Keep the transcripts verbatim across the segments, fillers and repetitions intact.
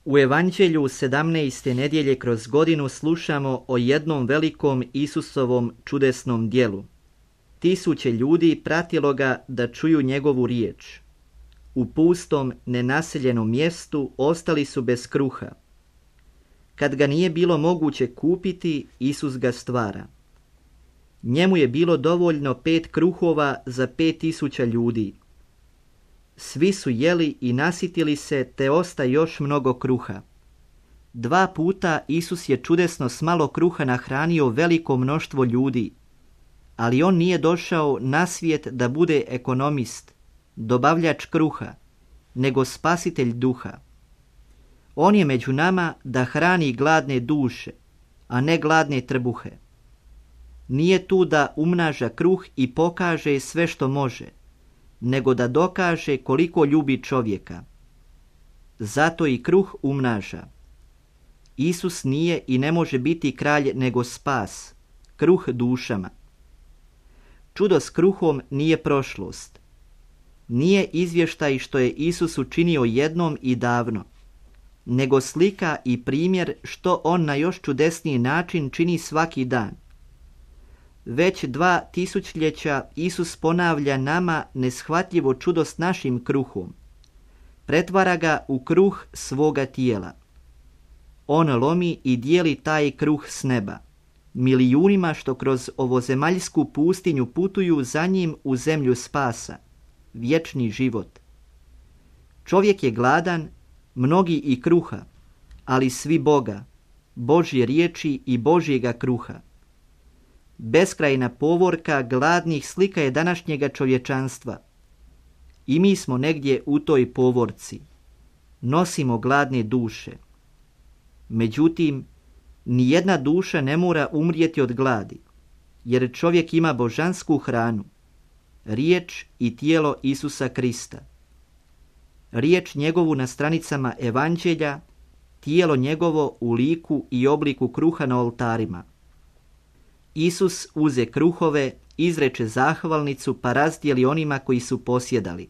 U Evanđelju sedamnaeste nedjelje kroz godinu slušamo o jednom velikom Isusovom čudesnom djelu. Tisuće ljudi pratilo ga da čuju njegovu riječ. U pustom, nenaseljenom mjestu ostali su bez kruha. Kad ga nije bilo moguće kupiti, Isus ga stvara. Njemu je bilo dovoljno pet kruhova za pet tisuća ljudi. Svi su jeli i nasitili se, te osta još mnogo kruha. Dva puta Isus je čudesno s malo kruha nahranio veliko mnoštvo ljudi, ali on nije došao na svijet da bude ekonomist, dobavljač kruha, nego spasitelj duha. On je među nama da hrani gladne duše, a ne gladne trbuhe. Nije tu da umnaža kruh i pokaže sve što može, nego da dokaže koliko ljubi čovjeka. Zato i kruh umnaža. Isus nije i ne može biti kralj nego spas, kruh dušama. Čudo s kruhom nije prošlost. Nije izvještaj što je Isus učinio jednom i davno, nego slika i primjer što on na još čudesniji način čini svaki dan. Već dva tisućljeća Isus ponavlja nama neshvatljivo čudo s našim kruhom. Pretvara ga u kruh svoga tijela. On lomi i dijeli taj kruh s neba, milijunima što kroz ovozemaljsku pustinju putuju za njim u zemlju spasa, vječni život. Čovjek je gladan, mnogi i kruha, ali svi Boga, Božje riječi i Božjega kruha. Beskrajna povorka gladnih slika je današnjega čovječanstva. I mi smo negdje u toj povorci. Nosimo gladne duše. Međutim, nijedna duša ne mora umrijeti od gladi, jer čovjek ima božansku hranu, riječ i tijelo Isusa Krista. Riječ njegovu na stranicama Evanđelja, tijelo njegovo u liku i obliku kruha na oltarima. Isus uze kruhove, izreče zahvalnicu pa razdijeli onima koji su posjedali.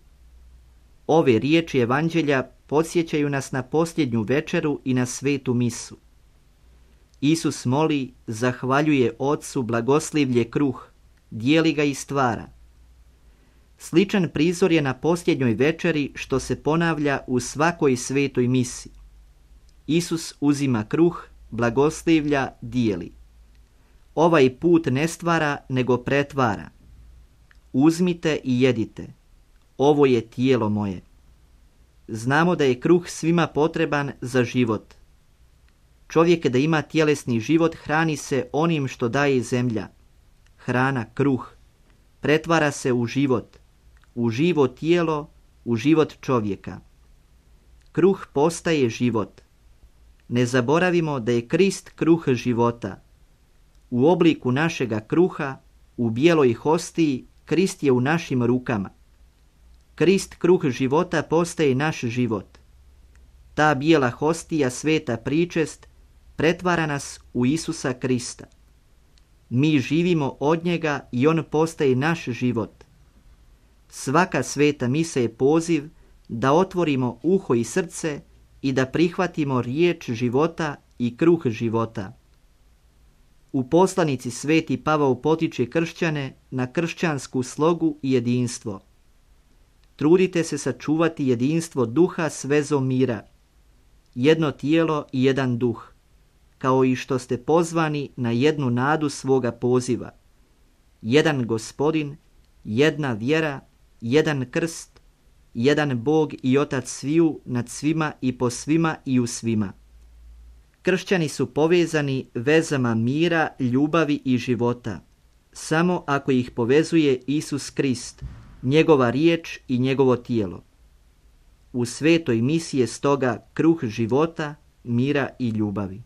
Ove riječi Evanđelja podsjećaju nas na posljednju večeru i na svetu misu. Isus moli, zahvaljuje Ocu, blagoslivlje kruh, dijeli ga i stvara. Sličan prizor je na posljednjoj večeri što se ponavlja u svakoj svetoj misi. Isus uzima kruh, blagoslivlja, dijeli. Ovaj put ne stvara, nego pretvara. Uzmite i jedite. Ovo je tijelo moje. Znamo da je kruh svima potreban za život. Čovjek da ima tjelesni život hrani se onim što daje zemlja. Hrana, kruh, pretvara se u život, u živo tijelo, u život čovjeka. Kruh postaje život. Ne zaboravimo da je Krist kruh života. U obliku našega kruha, u bijeloj hostiji, Krist je u našim rukama. Krist, kruh života, postaje naš život. Ta bijela hostija, sveta pričest, pretvara nas u Isusa Krista. Mi živimo od njega i on postaje naš život. Svaka sveta misa je poziv da otvorimo uho i srce i da prihvatimo riječ života i kruh života. U poslanici Sveti Pavao potiče kršćane na kršćansku slogu i jedinstvo. Trudite se sačuvati jedinstvo duha s vezom mira, jedno tijelo i jedan duh, kao i što ste pozvani na jednu nadu svoga poziva, jedan Gospodin, jedna vjera, jedan krst, jedan Bog i Otac sviju, nad svima i po svima i u svima. Kršćani su povezani vezama mira, ljubavi i života, samo ako ih povezuje Isus Krist, njegova riječ i njegovo tijelo. U svetoj misi je stoga kruh života, mira i ljubavi.